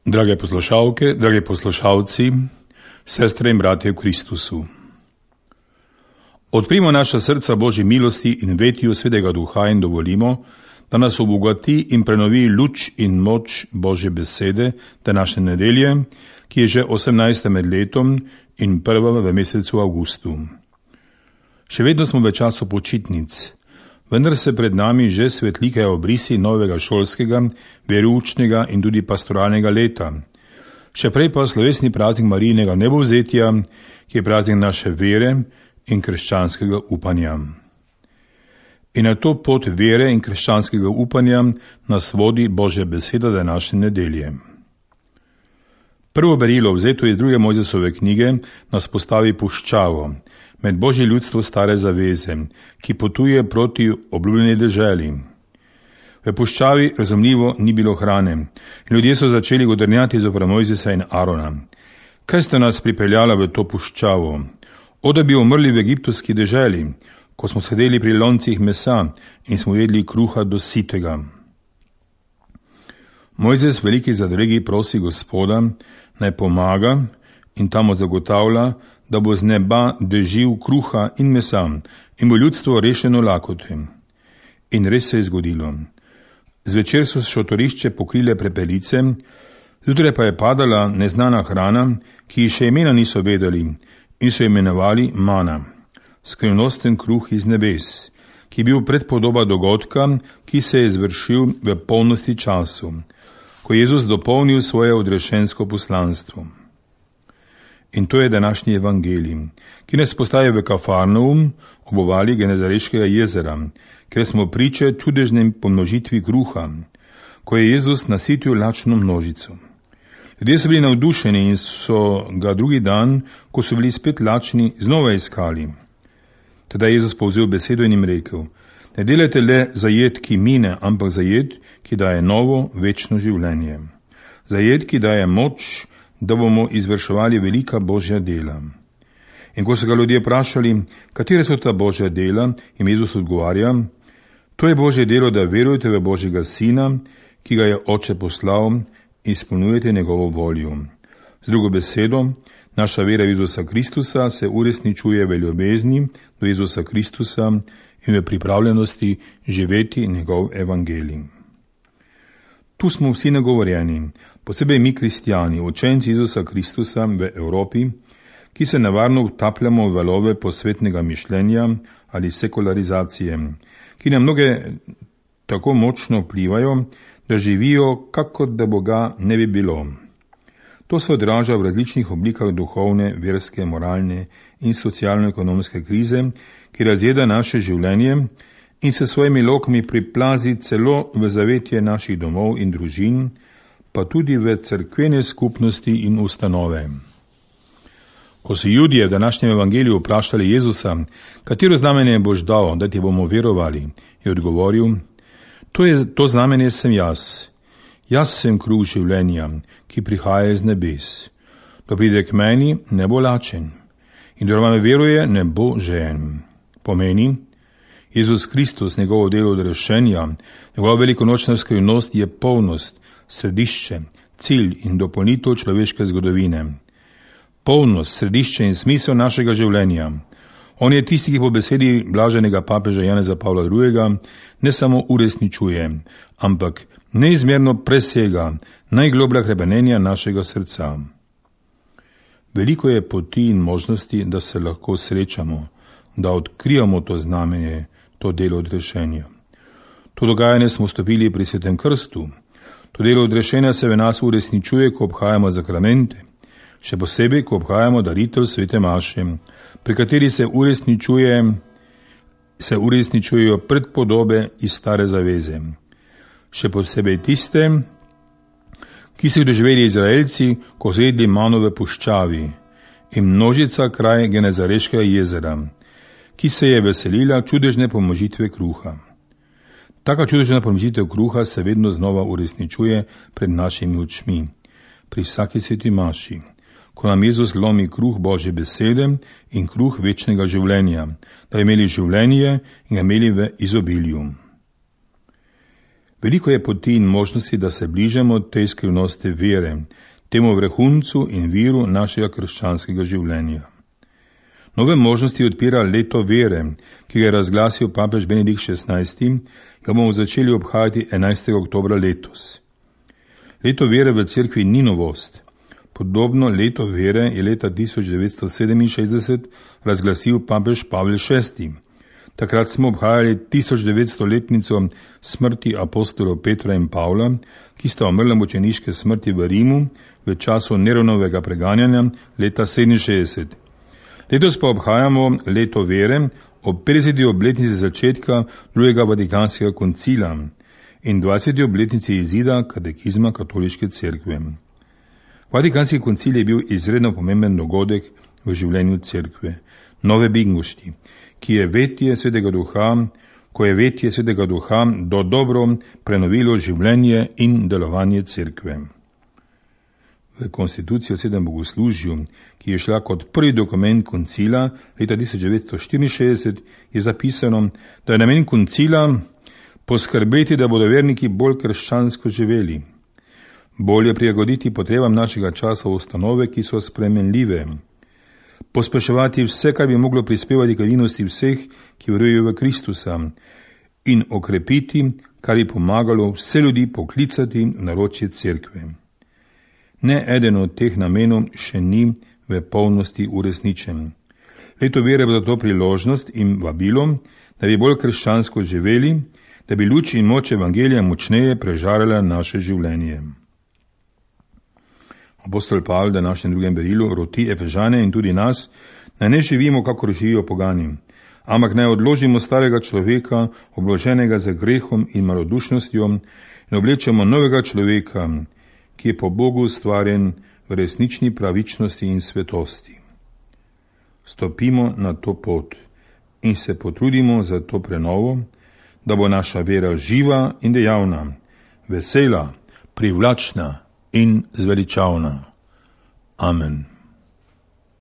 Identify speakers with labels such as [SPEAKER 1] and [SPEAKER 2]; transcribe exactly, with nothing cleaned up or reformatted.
[SPEAKER 1] Drage poslušalke, dragi poslušalci, sestre in bratje v Kristusu. Odprimo naša srca Božji milosti in vetju Svetega Duha in dovolimo, da nas obogati in prenovi luč in moč Božje besede današnje nedelje, ki je že osemnajsta med letom in prva v mesecu avgustu. Še vedno smo v času počitnic, vendar se pred nami že svetlikajo obrisi novega šolskega, veroučnega in tudi pastoralnega leta. Še prej pa slovesni praznik Marijinega nebovzetja, ki je praznik naše vere in krščanskega upanja. In na to pot vere in krščanskega upanja nas vodi Božja beseda današnje nedelje. Prvo berilo, vzeto iz druge Mojzesove knjige, nas postavi puščavo med Božje ljudstvo stare zaveze, ki potuje proti obljubljeni deželi. V puščavi razumljivo ni bilo hrane in ljudje so začeli godrnjati zoper Mojzesa in Arona. Kaj ste nas pripeljala v to puščavo? O, da bi umrli v egiptovski deželi, ko smo sedeli pri loncih mesa in smo jedli kruha do sitega. Mojzes, veliki zadregi, prosi Gospoda, naj pomaga in tamo zagotavlja, da bo z neba dežil kruha in mesa in bo ljudstvo rešeno lakote. In res se je zgodilo. Zvečer so šotorišče pokrile prepelice, zjutraj pa je padala neznana hrana, ki še imena niso vedeli in so imenovali mana, skrivnosten kruh iz nebes, ki je bil predpodoba dogodka, ki se je izvršil v polnosti času, ko je Jezus dopolnil svoje odrešensko poslanstvo. In to je današnji evangelij, ki nas postaje v Kafarnaum ob obali Genezareškega jezera, kjer smo priče čudežnem pomnožitvi kruha, ko je Jezus nasitil lačno množico. Ljudje so bili navdušeni in so ga drugi dan, ko so bili spet lačni, znova iskali. Teda je Jezus povzel besedo in jim rekel: ne delajte le za jed, ki mine, ampak za jed, ki daje novo, večno življenje. Za jed, ki daje moč, da bomo izvrševali velika Božja dela. In ko so ga ljudje vprašali, katere so ta Božja dela, jim Jezus odgovarja: to je Božje delo, da verujete v Božjega Sina, ki ga je Oče poslal, in izpolnjujete njegovo voljo. Z drugo besedo, naša vera v Jezusa Kristusa se uresničuje v ljubezni do Jezusa Kristusa in v pripravljenosti živeti njegov evangelij. Tu smo vsi nagovorjeni, posebej mi kristjani, učenci Jezusa Kristusa v Evropi, ki se nevarno utapljamo v valove posvetnega mišljenja ali sekularizacije, ki na mnoge tako močno vplivajo, da živijo, kakor da Boga ne bi bilo. To se odraža v različnih oblikah duhovne, verske, moralne in socialno-ekonomske krize, ki razjeda naše življenje in se svojimi lokami priplazi celo v zavetje naših domov in družin, pa tudi v cerkvene skupnosti in ustanove. Ko so Judje v današnjem evangeliju vprašali Jezusa, katero znamenje boš dal, da ti bomo verovali, je odgovoril: to, je, to znamenje sem jaz. Jaz sem kruh življenja, ki prihaja iz nebes. Kdo pride k meni, ne bo lačen, in kdor me veruje, ne bo žejen. Pomeni, Jezus Kristus, njegovo delo odrešenja, njegova velikonočna skrivnost je polnost, središče, cilj in dopolnitev človeške zgodovine. Polnost, središče in smisel našega življenja. On je tisti, ki po besedi blaženega papeža Janeza Pavla drugega ne samo uresničuje, ampak neizmerno presega najgloblja hrepenenja našega srca. Veliko je poti in možnosti, da se lahko srečamo, da odkrijamo to znamenje, to delo odrešenja. To dogajanje smo stopili pri Svetem krstu. To delo odrešenja se v nas uresničuje, ko obhajamo sakramente, še posebej, ko obhajamo daritev svete maše, pri kateri se uresničuje, se uresničujejo predpodobe iz stare zaveze. Še posebej tiste, ki so jih doživeli Izraelci, ko so jedli mano v puščavi, in množica kraj Genezareškega jezera, ki se je veselila čudežne pomnožitve kruha. Taka čudežna pomnožitev kruha se vedno znova uresničuje pred našimi očmi, pri vsaki sveti maši, ko nam Jezus lomi kruh Božje besede in kruh večnega življenja, da bi imeli življenje in ga imeli v izobilju. Veliko je poti in možnosti, da se bližamo tej skrivnosti vere, temu vrhuncu in viru našega krščanskega življenja. Nove možnosti odpira leto vere, ki ga je razglasil papež Benedikt šestnajsti, ga bomo začeli obhajati enajstega oktobra letos. Leto vere v cerkvi ni novost. Podobno leto vere je leta tisoč devetsto sedeminšestdeset razglasil papež Pavel šesti. Takrat smo obhajali tisoč devetsto letnico smrti apostolov Petra in Pavla, ki sta umrla mučeniške smrti v Rimu v času Neronovega preganjanja leta sedeminšestdeset. Letos pa obhajamo leto vere ob petdeseti obletnici začetka drugega Vatikanskega koncila in dvajseti obletnici izida katekizma katoliške cerkve. Vatikanski koncil je bil izredno pomemben dogodek v življenju cerkve, nove bingošti, ki je vetje svetega duha, ko je vetje svetega duha do dobro prenovilo življenje in delovanje cerkve. V konstituciji o sedem bogoslužju, ki je šla kot prvi dokument koncila leta tisoč devetsto štiriinšestdeset, je zapisano, da je namen koncila poskrbeti, da bodo verniki bolj krščansko živeli, bolje prilagoditi potrebam našega časa ustanove, ki so spremenljive, pospeševati vse, kar bi moglo prispevati k edinosti vseh, ki verujejo v Kristusa, in okrepiti, kar bi pomagalo vse ljudi poklicati v naročje cerkve. Ne eden od teh namenov še ni v polnosti uresničen. Leto vere bo zato priložnost in vabilo, da bi bolj krščansko živeli, da bi luč in moč evangelija močneje prežarala naše življenje. Apostol Pavel v današnjem drugem berilu roti Efežane in tudi nas, naj ne živimo, kakor živijo pogani, ampak naj odložimo starega človeka, obloženega z grehom in malodušnostjo, in oblečemo novega človeka, ki je po Bogu ustvarjen v resnični pravičnosti in svetosti. Stopimo na to pot in se potrudimo za to prenovo, da bo naša vera živa in dejavna, vesela, privlačna in zveličavna. Amen.